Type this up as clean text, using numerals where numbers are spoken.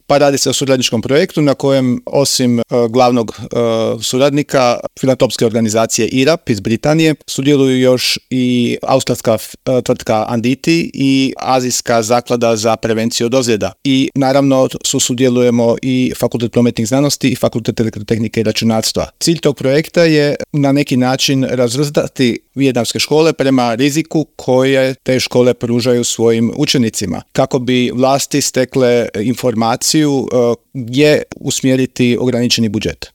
Pa radi se o suradničkom projektu na kojem osim glavnog suradnika filantropske organizacije IRAP iz Britanije sudjeluju još i australska tvrtka Anditi i Azijska zaklada za prevenciju od ozljeda. I naravno sudjelujemo i Fakultet prometnih znanosti i Fakultet elektrotehnike i računarstva. Cilj tog projekta je na neki način razvrstati vijetnamske škole prema riziku koje te škole pružaju svojim učenicima, kako bi vlasti stekle informaciju gdje usmjeriti ograničeni budžet.